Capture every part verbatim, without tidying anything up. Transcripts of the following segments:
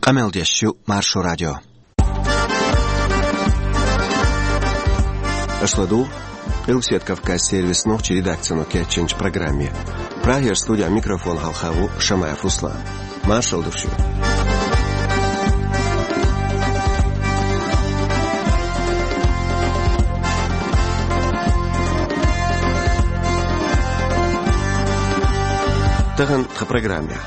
Къамел деш ю Маршо радио. Аша ладугӀу Къилбаседа Кавказ сервисан нохчийн редакцино кечйинчу программе. Прагера студехь микрофон хьалха ву Шамаев Руслан. Маршалла ду шуьга. Тахана тхан программехь.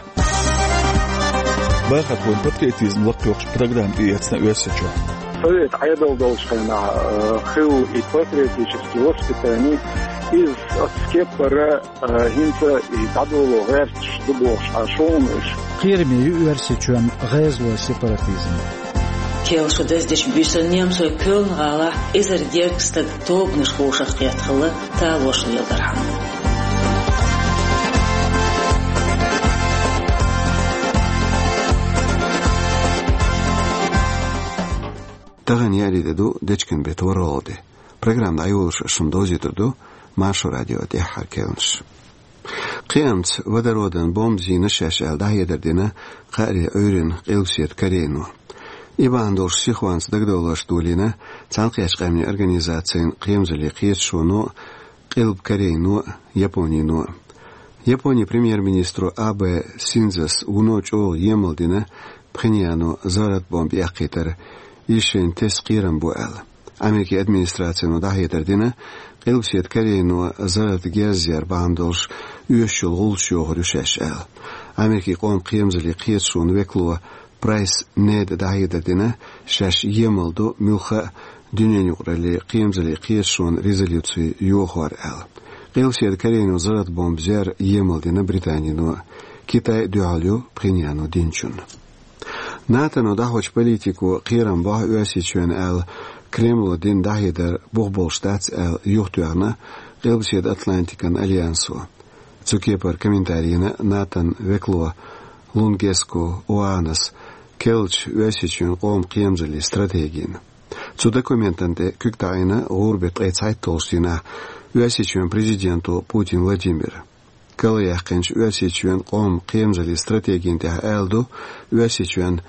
Бахархойн патриотизм лакхайоккхучу программа тӀеэцна Оьрсийчохь. Совет Ӏедал долчу хенахь, э, хилла и патриотический воспитание, иза оцу кепара, э, хӀинца и дӀадоло гӀерташ ду бохуш Ӏаш хӀума уьш. Кхераме ю Оьрсийчоьнан гӀезалойн сепаратизм. Кхел шо даздечу буьйсанна немцойн Кёльн-гӀалахь эзар гергга стаг тобанаш хьошах кхетта хилла, талош леладархьама. Тахана еарин де ду, дечкен беттан ворхӀалгӀа де. Программа дӀайолош шуна довзуьйтур ду Маршо радион тӀаьххьара керланаш. Кхиамца водородан бомба зийна шаьш аьлла, дӀахьедар дина кхаари Ӏуьйранна Къилбаседа Корейно. И бахьана долуш сихонца дагадовларш долийна Цхьаьнакхеттачу Къаьмнийн Организацин кхерамзаллин кхеташоно, Къилба Корейно, Японино. Японин премьер-министро Абе Синдзос вуно чӀогӀа емал дина Пхеньяно заррат бомба яккхийтар, иза шайна тесна кхерам бу аьлла. Америкин администрацино дӀахьедар дина, Къилбаседа Корейно заррат герз яр бахьана долуш оьшуш йолу гӀуллакхаш йохур ю шаьш аьлла. Америкин къоман кхерамзаллин кхеташонан векало Прайс Неда дӀахьедар дина, шаьш емал ду муьлхха а дуьненан юкъараллин кхерамзаллин кхеташонан резолюци йохор аьлла. Къилбаседа Корейно заррат бомба зер емал дина Британино. Китай а дуьхьал ю Пхеньяно динчунна. НАТОно дӀахьочу политико кхерам бохьу Оьрсийчоьнна аьлла, Кремло дина дӀахьедар бух болуш дац аьлла, юхатоьхна Къилбаседа Атлантикан альянсо. Цу кепара комментари йина НАТОн векало Лунгеско Оанас, керлачу Оьрсийчоьнан къоман кхерамзаллин стратегина. Цу документана тӀе куьг таӀийна гӀуран беттан ткъе цхьайтталгӀачу дийнахь Оьрсийчоьнан президенто Путин Владимира. Карла яьккхинчу Оьрсийчоьнан къоман кхерамзаллин стратегина тӀехь аьлла ду, Оьрсийчоьнан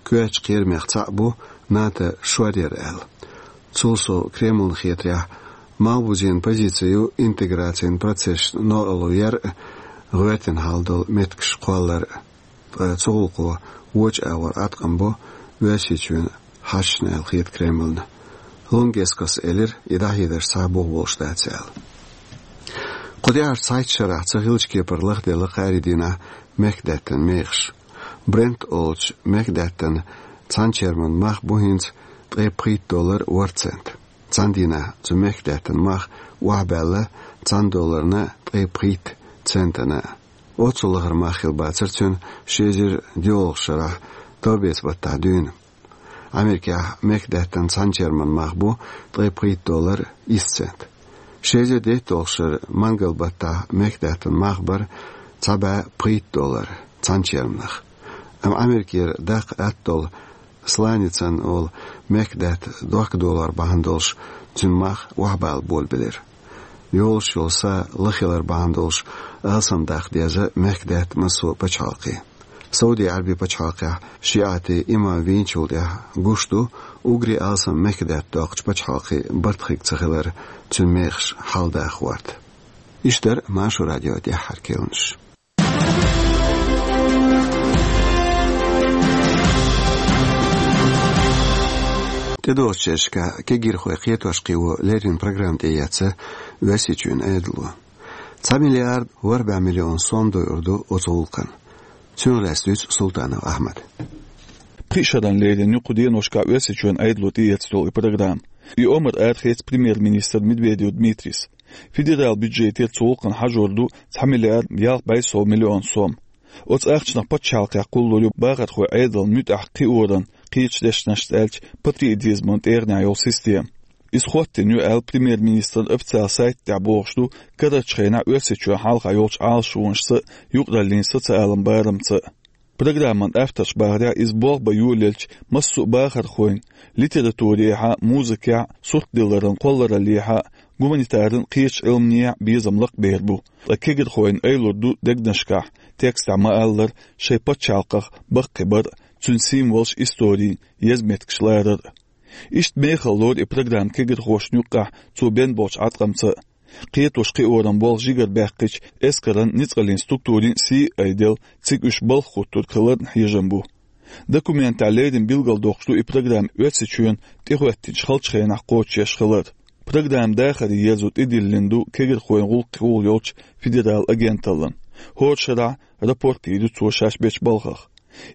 коьртачу кхерамех цхьаъ бу НАТО шоръяр аьлла. Цул сов, Кремлна хетарехь, малхбузенан позици ю интеграцин процессашна новкъарло яр а, гӀоьртина хьал долу меттигаш кхоллар а. Ткъа цу гӀуллакхо вочу агӀор Ӏаткъам бо Оьрсийчоьнан хьашташна аьлла хета Кремлна. Лунгескос элира, и дӀахьедарш цхьа а бух болуш дац аьлла. Кху тӀаьхьарчу цхьайтта шарахь ца хиллачу кепара лахделла кхаари дийнахь мехкадаьттан мехаш. Брент олучу мехкадаьттан цхьана черман мах бу хӀинца ткъе пхийтта доллар ворхӀ цент. Цхьана дийнахь цу мехкадаьттан мах охьабаьлла цхьана долларна ткъе пхийтта центана. Оццул лахара мах хилла бацара цуьнан ши эзар диъолгӀачу шарахь товбеца баттахь дуьйна. Америкехь мехкадаьттан цхьана черман мах бу ткъе пхийтта доллар исс цент. Ши эзар дейтталгӀачу шарахь мангал баттахь мехкадаьттан мах бара цхьа бӀе пхийтта доллар цхьана черманах. Амма Америкера даккха атта долу сланицин олу мехкадаьтта дохка долор бахьана долуш, цуьнан мах охьабала болабелира. Йолуш йолу са лахилар бахьана долуш, алсам даккха деза мехкадаьтта массо а пачхьалкхе. Сауди-Ӏаьрбийн пачхьалкхехь шиӀатийн имам вийначул тӀаьхьа гуш ду, уггаре алсам мехкадаьтта доккхучу пачхьалкхийн барт хирг ца хилар цуьнан мехаш хьалдаха гӀорта. Иштта дара Маршо радион тӀаьххьара керланаш. ТӀедогӀучу шерашкахь кегийрхой кхетош кхио леррина программа тӀеэцна Оьрсийчоьнан Ӏедало. Цхьа миллиард ворхӀ бӀе миллион сом дойур ду оцу гӀуллакхна. Цунах лаьцна дуьйцу Султанов Ахьмада. Пхи шарна леррина ю кху деношкахь Оьрсийчоьнан Ӏедало тӀеэцна йолу и программа. И омра арахецна премьер-министр Медведев Дмитрийс. Федералан бюджетера цу гӀуллакхна хьажор ду цхьа миллиард ялх бӀе сов миллион сом. Оцу ахчанах пачхьалкхехь кхуллур ю бахархойн Ӏедална муьтӀахь кхиоран, кхечу дешнашца аьлча, патриотизман тӀегӀанехь йолу система. Иза хӀоттийна ю аьлла премьер-министран официалан сайта тӀехь бохуш ду карарчу хенахь Оьрсийчоьнна хьалха йолчу Ӏалашонашца а, юкъараллин социалан барамца а. Программан авторша бахарехь, иза болх бан йолаелча массо а бахархойн, литературехь а, музыкехь а, суртдилларан кхоллараллехь а, Гуманитаран, кхечу Ӏилманехь безам лакхабер бу, ткъа кегирхойн айлур ду дегнашкахь, текстехь ма-аллара, шайн пачхьалкхах баккхийбар а, цуьнан символаш, истори, еза меттигаш ларар а. Иштта мехала лору и программа кегирхошна юккъехь цо бен болчу Ӏаткъамца а. Кхетош-кхиоран болх жигара баьккхича, эскаран, ницкъаллин структурийн сий а айделла, цига уьш балха хӀуттург хиларна хьежам бу. Документехь леррина билгалдоккхуш ду и программа Оьрсийчоьнна тӀехӀоьттинчу халчу хенахь кхочушъеш хилар. Программа дахаре ерзо тӀедиллина ду кегирхойн гӀуллакхехула йолчу федералан агенталлина. ХӀора шарахь рапорт йийр ю цо шаьш бечу балхах.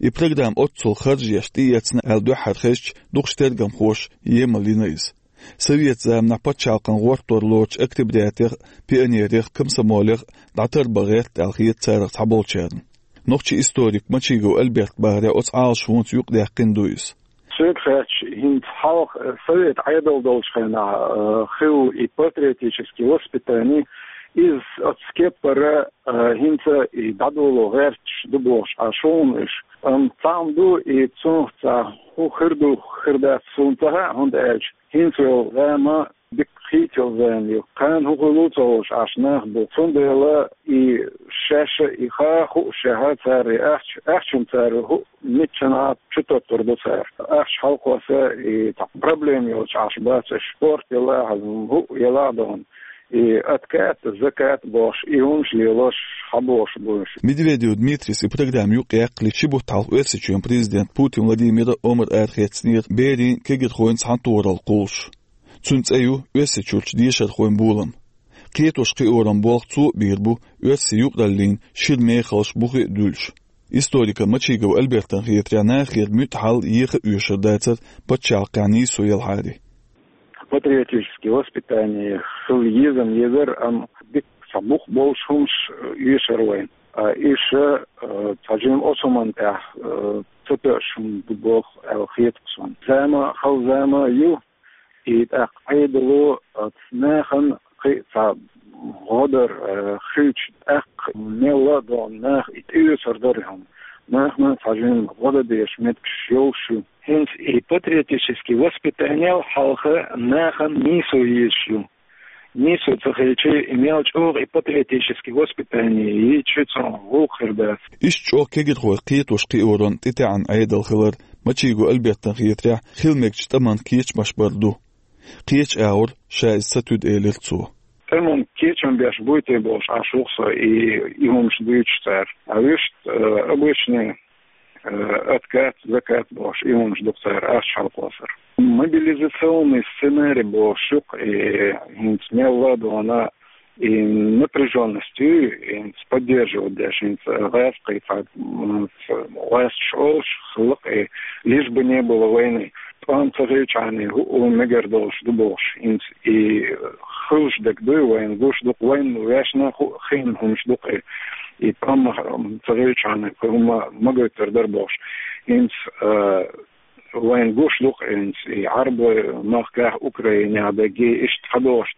И программа оццул харжеш тӀеэцна аьлла дуьххьара хезча, дукхачу тергамхоша емал йина иза. Советан заманахь пачхьалкхан гӀортор лоручу октябрятех а, пионерех а, комсомолех а дӀатарбан гӀерта аьлла хета царах цхьаболчарна. Нохчийн историк Мачигов Альберта бахарехь, оцу Ӏалашонца юкъадаьккхина ду иза. Соьга хаьттича, хӀинца хьалха, э, совет Ӏедал долчу хенахь, э, хилла и патриотический воспитание, иза оцу кеппара, э, хӀинца и дӀадоло гӀерташ ду бохуш Ӏаш ву-кх уьш. Амма цхьаъ ма ду и цунах цхьа хӀун хир ду, хир дац суна ца хаьа, хӀунда аьлча хӀинца йолу зама дика хийца йолу зама ю. Кхана хӀун хуьлу ца хууш Ӏаш нах бу. Цундела и шаьш а, и ха а хууш, шаьш а цара и ахча, ахчанна цара хӀу-, миччанхьа чу тоттур ду цара. Ахча хьалакхосса и цхьа проблема йолуш Ӏаш бац уьш. Спорт елахь а, хӀуъа елахь а дохуна. И откат, закат бохуш, и хӀумаш лелош хьабохуш бу уьш. Медведев Дмитрис и программа юкъаяккхале, ши бутт хьалха Оьрсийчоьнан президента Путин Владимира омра арахецнера берийн, кегирхойн цхьаьнатохаралла кхуллуш. Цуьнан цӀе ю Оьрсийчуьрчу дешархойн болам. Кхетош-кхиоран болх цо а бийр бу оьрсийн юкъараллин шира мехаллаш бухе а дуьллуш. Историка Мачигов Альбертан хетарехь, нахера муьтӀахь хьал еха а оьшур дацара пачхьалкхехь нийсо елахьара. Патриотическое воспитание хила еза-м езара, амма дика цхьа бух болуш хӀумаш оьшура вайна. А иша, а, цхьа жимма оцу хӀуманна тӀехь, а, ца тоьуш хӀума ду боху аьлла хета-кх суна. Зама хала зама ю, и тӀаккха Ӏедало, а, нахана кхин а цхьа гӀо дар, а, хилча, тӀаккха мелла а догӀу наха и тӀеоьцур дара и хӀума. Нахана цхьа жимма гӀо дан дезаш меттигаш йолуш ю. ХӀинца и патриотический воспитаниел хьалха нахана нийсо езаш ю. Нийсо ца хилча, и мел чӀогӀа и патриотический воспитание йийча, цунах гӀуллакх хир дац. Иштта чӀогӀа кегирхой кхетош-кхиоран тӀетаьӀна Ӏедал хилар Мачигов Альбертан хетарехь, хила мегачу тӀаман кечамаш бар ду. Кхечу агӀор ша иза ца туьду, элира цо. ТӀаман кечам беш буй те бохуш Ӏаш ву-кх со и, и хӀумаш дуьйцуш цара. А вуьшта, э, обычный, э, откат, закат бохуш, и хӀумаш ду-кх цара ахча хьалакхоссар. Мобилизационный сценарий бохуш ю-кх и, хӀинца мелла а догӀу и напряжённость ю, хӀинца поддерживать деш, хӀинца гӀазкхий цхьа, м, гӀоьсташ олуш хилла-кх и, лишь бы не было войны. ТӀом ца хилчахьана, хӀу-, хӀу мегар долуш ду бохуш, хӀинца и хуьлуш дерг дуй, вайна гуш ду-кх, вайна ваьшна ху-, хиъна хӀумаш ду-кх и, и тӀом ца хилчахьана, кхин хӀума ма гойтур дара бохуш. ХӀинца, а, вайна гуш ду-кх, хӀинца и Ӏарбойн махкахь, Украинехь дерг, иштта хьадогӀуш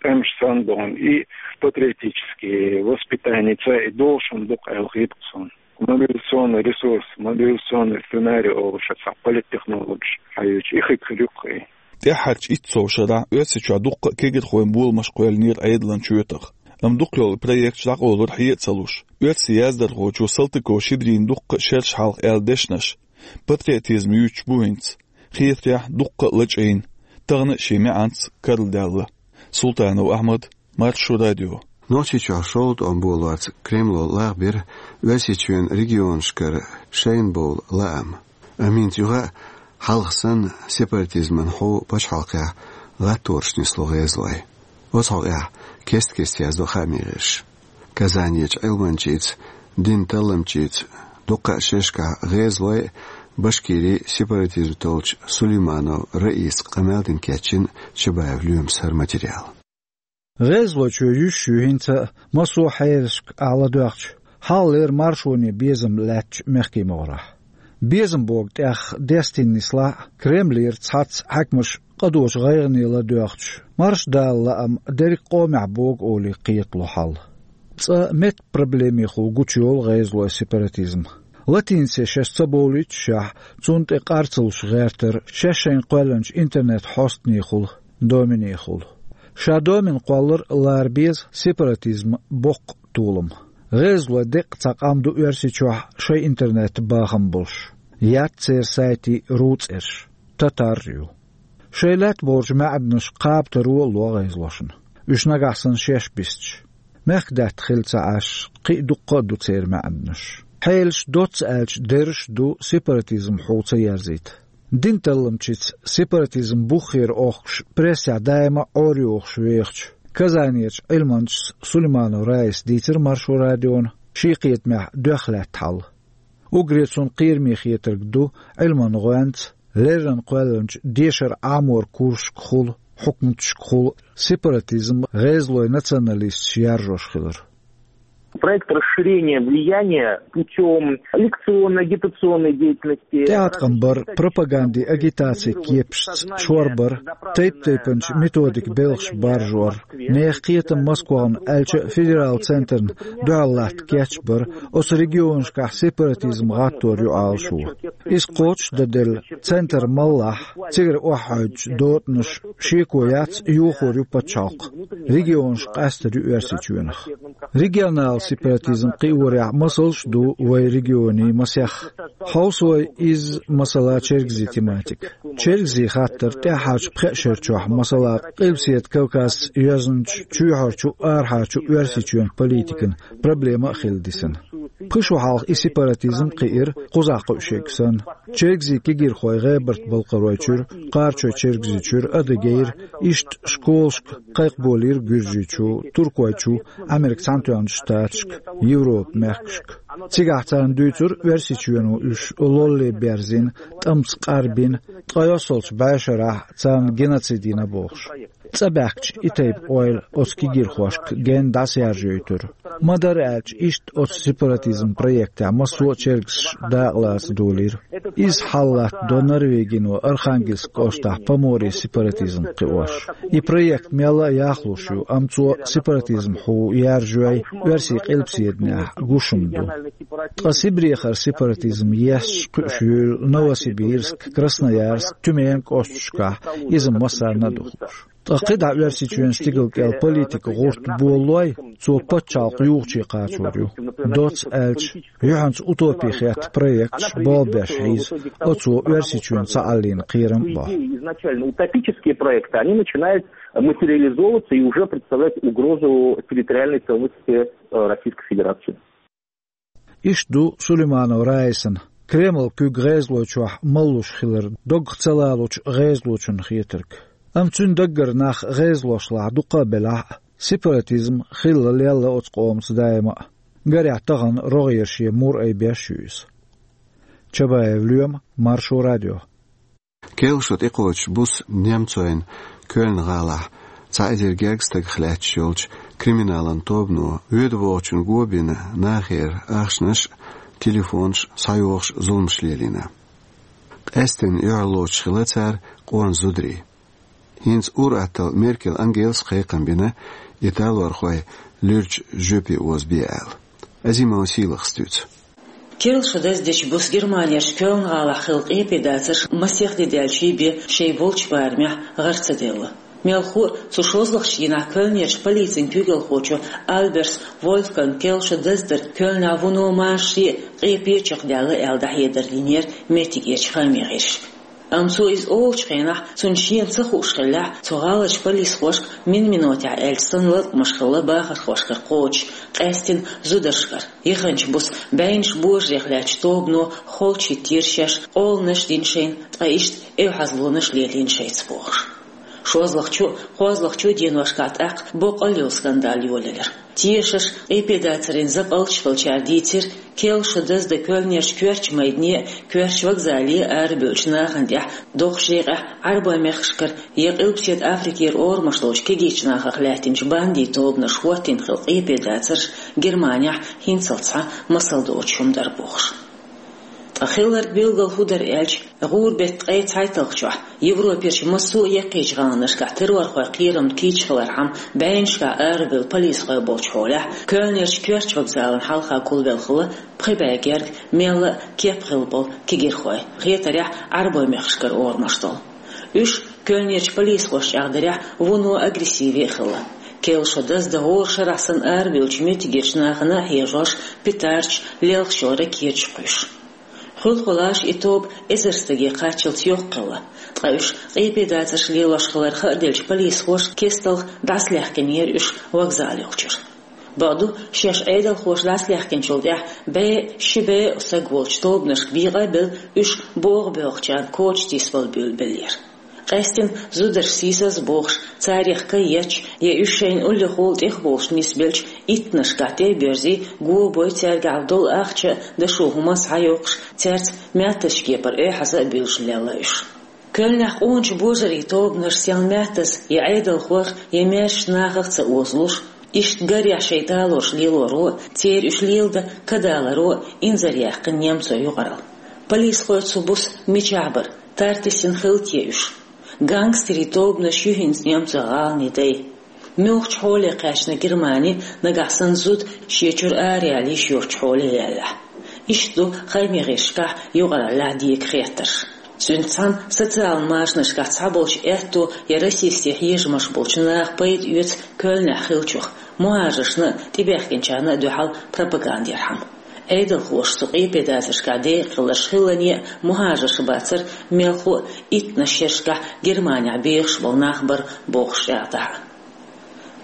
тӀемаш санна догӀу, и патриотический воспитаница и долуш хӀума ду-кх аьлла хета-кх суна. Мобилизационный ресурс, мобилизационный сценарий олуш цхьа политтехнологиш хьаьвча, и хиг хир ю-кх и. ТӀаьххьарчу итт сов шарахь Оьрсийчохь дуккха а кегирхойн боламаш кхоьллинера Ӏедалан чоьтах. Амма дукхахйолу проекташ дӀакъовлура хье а ца луш. Оьрсийн яздархочо Салтыков Щедрина дуккха а шераш хьалха аьлла дешнаш патриотизм юьйцуш бу хӀинца. Хетарехь, дуккха а лачкъийна, тахана а шен маьӀанца карладаьлла. Султанов Ахьмад, Маршо радио. Нохчийчохь шолгӀа тӀом болорца Кремло лагӀбира Оьрсийчоьнан регионашкара шайна бовла лаам. Амма хӀинца юха а хьалха санна сепаратизман хьу пачхьалкхехь гӀаттораш нисло гӀезалой. Оцу хьокъехь кест-кеста яздо хаамийн гӀирсаша. Казанерчу Ӏилманчица, динан талламчица дуккха а шерашкахь гӀезалой а, Башкирин сепаратизм толлучу Сулейманов Раиса къамел дина кечйина Чабаев Лоьмас хӀара материал. ГӀезалойчоь юьсуш ю хӀинца а, массо а хьерашка ахь ладоьгӀча, хьалхалера маршоне безам лаьттачу мехкийн могӀарехь. Безам богу тӀех дестийна нислахь а, Кремлера цхьацца хьаькамаш къа доцу гӀайгӀане ладоьгӀча, марша Дала лаам дерриг къомехь богу олий кхетало хьал. Цкъа меттан проблемехула гучуйолу гӀезалойн сепаратизм. Латиницех шаьш ца бовлуьйтушехь, цунна тӀе къар ца луш гӀертара шаьш шайна кхоьллинчу интернет-хьостанехула, доменехула. Ша домин кхоллар лара беза сепаратизма боккха толам. ГӀезалой деккъа цхьа къам ду Оьрсийчохь шайн интернет-бахам болуш. Яц церан сайтийн ру цӀераш, татар ю. Шайн лаьтта болчу маьӀданаш кхабатаро а ло гӀезалошна, уьш нагахь санна шаьш бисча. Мехкадаьтта хилла ца Ӏаш, кхин а дуккха а ду церан маьӀданаш. Хьелаш доцца аьлча, дерриш а ду сепаратизм хьу ца ерзийта. Дин талламчица сепаратизм буххера охкуш прессехь даима а Ӏорайохуш вехачу Казанерчу Ӏилманчас Сулейманов Раиса дийцира Маршо радиона шен кхетамехь доьхна лаьтта хьал. Уггаре цунна кхераме хетарг ду Ӏилман гӀоьнца, леррина кхоьллинчу дешар Ӏаморан курсашкахула, хьукматашкахула сепаратизм гӀезалойн националисташа яржош хилар. Проект расширения влияния путём лекционно-агитационной деятельности. ТӀеӀаткъам бар, пропагандин агитацин кепашца шорбар, тайп-тайпанчу методикан белхаш баржор, нехан кхетам Москвахна аьлча а федералан центрна дуьхьал латта кечбар, оцу регионашкахь сепаратизм гӀаттор ю Ӏалашо. Иза кхочуш дан делла, центр маллахь, цигара охьахьуьйтучу дотӀанаш шеко яц, йохор ю пачхьалкх. Регионаш къаьстар ю Оьрсийчоьнах. Регионал сепаратизм кхиорехь масалш а ду вайн регионийн масех. Хьовса вай изза, масала, чергазийн тематика. Чергазийн хаттар тӀаьххьарчу пхеа шарчохь, масала, Къилбаседа Кавказца йоьзначу чоьхьарчу, арахьарчу Оьрсийчоьнан политикан проблема а хилла дисина. Пхи шо хьалха и сепаратизм кхиира, кхузахь кхуьуш ерг санна. Чергазийн кегийрхой ГӀебарта-Балкхаройчуьра, Кхарачой-Чергазийчуьра, Адыгейра, иштта школашка кхайкхаболийра Гуьржийчу, Туркойчу, Американ Цхьаьнатоьхначу Штаташка, Европан мехкашка. Цигахь царна дуьйцура Оьрсийчоьно уьш лолле берзийна, тӀамца къарбина, ткъе йоьссалгӀачу бӀешарахь царна геноцид йина бохуш. ЦӀа баьхкича и тайпа ойла оцу кегийрхошка генна дӀасаяржайойтура. Ма-дарра аьлча, иштта оцу сепаратизм проектехь массо а чергазаш дакъалаца долийра. Изза хьал латтадо Норвегино Архангельск кӀоштахь Поморье сепаратизм кхиош. И проект мелла а яхлуш ю, амма цо сепаратизм хьу яржайой, оьрсийн къилбаседанехь гуш хӀума ду. Ткъа Сибрехара сепаратизм есташ кхуьуш юйла Новосибирск, Красноярск, Тюмень кӀошташкахь, иза массарна а духуш. Ткъа кхидӀа Оьрсийчоьнан стигала кӀел политикан гӀурт болалой, цо пачхьалкх юхачу кхачор ю. Доцца аьлча, юьхьанца утопи хетта проекташ болх беш хьийза, оцо Оьрсийчоьнан ца Ӏаллийна кхерам а бо. Идеи, изначально утопические проекты, они начинают материализовываться и уже представлять угрозу территориальной целостности, э, Российской Федерации. Иштта ду Сулейманов Раисана Кремлан куьг гӀезалойчохь маллуш хилар доггах ца лалучу гӀезалочунна хетарг. Амма цуьнан даггара нах гӀезалошлахь дукха а белахь а, сепаратизм хилла лелла оцу къомаца даима а. Гарехь, тахана рогӀера шен мур айбеш ю иза. Чабаев Лоьма, Маршо радио. Керла шо тӀекхочуш буса немцойн Кёльн-гӀалахь цхьа эзар гергга стагах лаьтташ йолчу криминалан тобано воьду-вогӀучун го бина нахера ахчанаш а, телефонаш а схьайохуш зуламаш лелийна. Къаьсттина юьхьарлоцуш хилла цара къона зударий. ХӀинца ур-атталла Меркель Ангелас кхайкхам бина италорхой луьрачу жоьпе озабе аьлла. Азимова Сийлахас дуьйцу. Керла шо даздечу буса Германерчу Кёльн-гӀалахь хилла къепедацарш масех де даьлчий бен шайн болчу барамехь гӀар ца делла. Мелхо а, цу шозлагӀчу дийнахь Кёльнерчу полицин куьйгалхочо Альберс Вольфганга керла шо даздар Кёльнехь вуно машаре а, къепе а чекхдаьлла аьлла дӀахьедар динера меттигерчу хааман гӀирсашка. Амма цо иза олучу хенахь, цунна шена ца хууш хиллехь, цу гӀаларчу полисхошка мин-минотехь аьлча санна латкъамаш хилла бахархошкара кхочуш, къаьсттина зударшкара. Яханчу буса бӀеннаш божарех лаьттачу тобано холчу хӀиттийра шаьш, къоланаш дина шайна, ткъа иштта эвхьазлонаш лелийна шайца бохуш. ШозлагӀчу а, кхозлагӀчу а деношкахь тӀаккха боккъал йолу скандал йолаелира. Тешаш, къепедацарийн закъалташ хилчара дийцира, керла шо даздан Кёльнерчу коьртачу майдане а, коьртачу вокзале а арабевллачу нахана тӀехь доккхачу декъехь Ӏарбойн мехкашкара я Къилбаседа Африкера орамаш долчу кегийчу нахах лаьттинчу бандийн тобанаша хӀоттийна хилла къепедацарш Германехь хӀинццалц схьа масал доцуш хӀума дара бохуш. Ткъа хилларг билггал хӀун дара аьлча, гӀуран беттан ткъе цхьайтталгӀачохь Европерчу массо а яккхийчу гӀаланашкахь террорхойн кхерамна кийча хилархьама бӀеннашкахь арабевлла полисхой болчу хьолехь, Кёльнерчу коьртачу вокзалан хьалха гулвелла хилла пхи бӀе герга, мелла а кеп хилла болу кегийрхой, хетарехь, Ӏарбойн мехкашкара орамаш долу. Уьш Кёльнерчу полисхошна чӀагӀдарехь, вуно агрессиве а хилла. Керла шо даздан гӀора шарахь санна арабевллачу меттигерчу нахана а хьежош, петардаш, лелхаш йолу ракеташ кхуьйсуш. Хуьлда-хуьлда и тоба эзар стаге кхаччалц йоккха хилла, ткъа уьш къепедацарш лелош хилар хааделлачу полисхоша кестта дӀасалаьхкинера уьш вокзал йолчуьра. Бакъду, шаьш Ӏедалхоша дӀасалаьхкинчул тӀаьхьа бӀе, ши бӀе а стаг волчу тобанашка бекъа а белла, уьш богӀу боьлхучарна коча тийсабала буьйлабеллера. Къаьсттина зударш сийсаза бохуш, царех кхайкхош, я уьш шайна уллехула тӀехболуш нисбеллачу иттанашкахь тӀе а боьрзий, го а бой, цаьргахь долу ахча а, дашо хӀума а схьайоккхуш, цаьрца маьттазчу кепара эхь хьаза а буьйлуш лелла уьш. Кёльнехь къоначу божарийн тобанаш сел маьттаза я Ӏедалхойх, я маьршачу нахах а ца озалуш, иштта гарехь шайн талорш лелоро а, церан уьш леладан кадаларо а инзаръяьккхина немцойн юкъаралла. Полисхой цу буса мичахь бара, тартисина хилла те уьш? Гангстерийн тобанаш ю хӀинца немцойн гӀаланийн дай. Муьлхачу хьоле кхаьчна Германи, нагахь санна зуда шен чуьра араяла йиш йоцучу хьоле яьллехь? Иштта ду хаамийн гӀирсашкахь, юкъараллехь дега хеттарш. Цуьнца цхьаьна социалан машанашкахь цхьаболчу аьтто я расистийн хьежамаш болчу наха пайда оьцу Кёльнехь хиллачух, мухӀажаршна а, тӀебаьхкинчарна а дуьхьал пропаганда ярхьама. Ӏедалхоша цу къепедацаршкахь декъахь хилларш хӀиллане а мухӀажарш бацара, мелхо а иттанаш шерашкахь Германехь бехаш болу нах бара бохуш чӀагӀдахь а.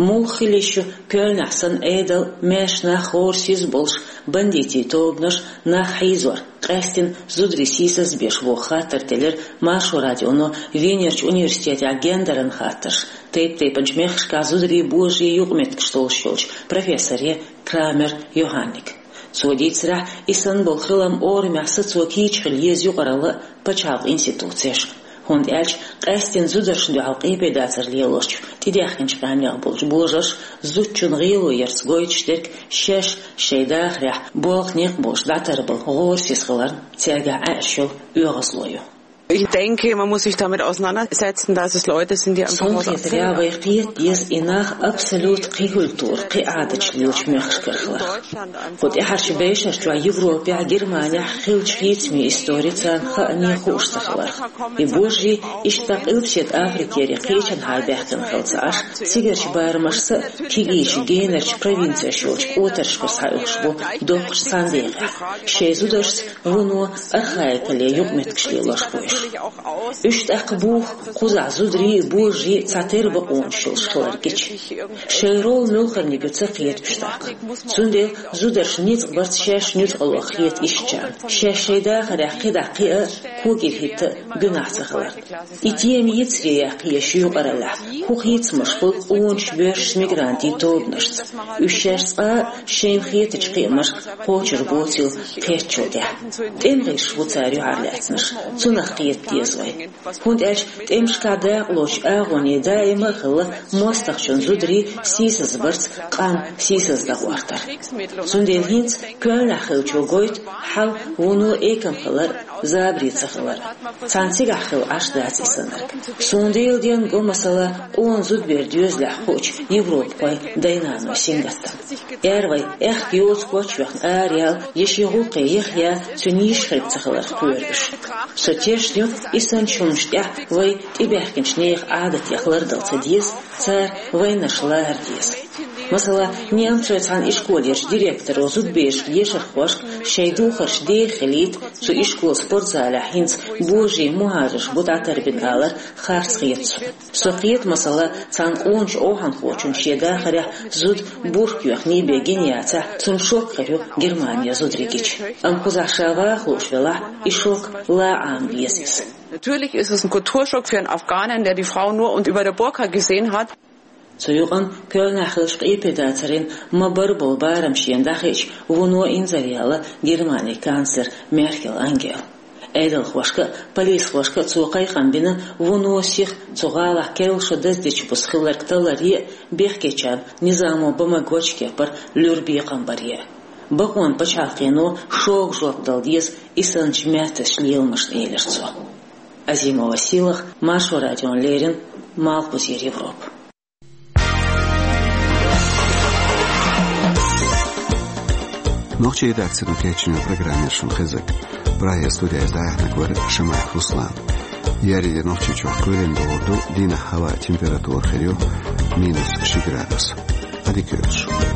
Муха хила йиш ю Кёльнехь санна Ӏедал, маьрша нах гӀорасиз болуш, бандитийн тобанаш нах хьийзор, къаьсттина зударий сийсазбеш боху хаттар теллира Маршо радионо Венерчу университетехь гендеран хаттарш, тайп-тайпанчу мехкашкахь зударий, божарий юкъаметтигаш толлуш йолчу профессоре Крамер Йоханнега. Цо дийцарехь, и санна болу хилам орамехь сацо кийча хила еза юкъаралла а, пачхьалкхан институцеш а. ХӀунда аьлча къаьсттина зударшна дуьхьал къепедацар лелочу тӀедаьхкинчу къаьмнех болчу божарша зудчун гӀело ярца гойтуш дерг шаьш шайн дахарехь болх некъ болуш дӀатарбала гӀорасиз хиларна цаьргахь Ӏаьржа йолу оьгӀазло ю. Ich denke, man muss sich damit auseinandersetzen, dass es Leute sind, die einfach Суна хетарехь, вай кхета деза и нах абсолют кхин культура, кхин Ӏадаташ лелачу мехкашкара хиларх. Кху тӀаьхьарчу бӀешарчохь Европехь, Германехь хиллачу хийцамийн истори царна хаане хууш ца хиларх. И божарий иштта Къилбаседа Африкера кхечанхьа баьхкина хилла ца Ӏаш, цигарчу барамашца а, кегийчу генарчу провинцеш йолчу кӀотаршкара схьаоьхуш бу доккхачу цхьана декъехь, шайн зударшца вуно архаикале юкъаметтигаш лелош бу уьш. Уьш тӀаккха буха кхузахь зударий а, божарий а цхьатерра бакъонаш йолуш хилар гича. Шайн роль муьлхарниг ю ца кхета уьш тӀаккха. Цундела зударшна ницкъ барца шаьш нуьцкъала хета ишттачарна, шаьш шайн дахарехь кхидӀа кхиа а, когира хӀитта а гуьнахь ца хиларна. И тема йицаре яккха еза ю юкъараллехь, хӀун хийцамаш хуьлу къоначу боьршачу мигрантийн тобанашца. Уьш шаьш цкъа а шайна хетачу кхиамашка кхочур боцийла кхеттачул тӀаьхьа. ТӀеман гӀирсаш бу цара юьхьарлаьцнарш, цунах кхета деза вай. ХӀунда аьлча тӀемашкахь дакъалоцучу агӀоне даима а хилла мостагӀчун зударий сийсазбарца къам сийсаздан гӀортар. Цундела хӀинца Кёльнехь хиллачо гойту хьал вуно экам хилар а, забаре ца хилар а. Цхьана цигахь хилла Ӏаш дац и санарг. Суна дийла денна го, масала, къона зудабер доьзалехь хуучу европахойн дай-наной сингаттам. Эр вай, аьхка йоцу коч йоьхна араяла, я шен гӀуллакхе яха я, цуьнан йиш хирг ца хиларх кхоьру уьш. Со тешна ю, и санначу хӀуманаш тӀехь вай тӀебаьхкинчу нехан Ӏадатех лардала ца деза, цара вайнарш лара деза. Масала, немцойн цхьана ишколерчу директоро зудаберашка, ешархошка шайн духарш деха хилийта, цу ишколан спортзалехь хӀинца божарий, мухӀажарш бу дӀатарбина алар харц хета суна. Со кхета, масала, цхьана къоначу охьанхочунна шен дахарехь зуда бурка йоьхний бен гина яцахь, цунна шок хир ю Германера зударий гича. Амма кхузахь ша ваха лууш велахь, и шок лан Ӏама беза иза. Natürlich ist es ein Kulturschock für einen Afghanen, der die Frau nur und über der Burka gesehen hat. Цу юкъана Кёльнехь хиллачу къепедацарийн ма-барра болу барам шена дӀахиъча, вуно инзаръяьлла Германин канцлер Меркел Ангела. Ӏедалхошка а, полисхошка а цо кхайкхам бина, вуно сиха цу гӀалахь керла шо даздечу буса хилларг талларе а, бехкечарна низамо бан магочу кепара луьра бекхам баре а. Бакъонан пачхьалкхено шога жоп дала деза и санначу маьртачу леламашна, элира цо. Азимова Сийлаха, Маршо радиона леррина, Малхбузера Европа. Нохчийн редакцино кечйина программа яра шуна хезнарг. Прагера студехь дӀаяьхьнарг вара Шамаев Руслан. Ерриге Нохчийчохь кхоьлина догӀур ду, дийнахь хӀаваан температура хир ю минус ши градус. Ӏадика йойла шун.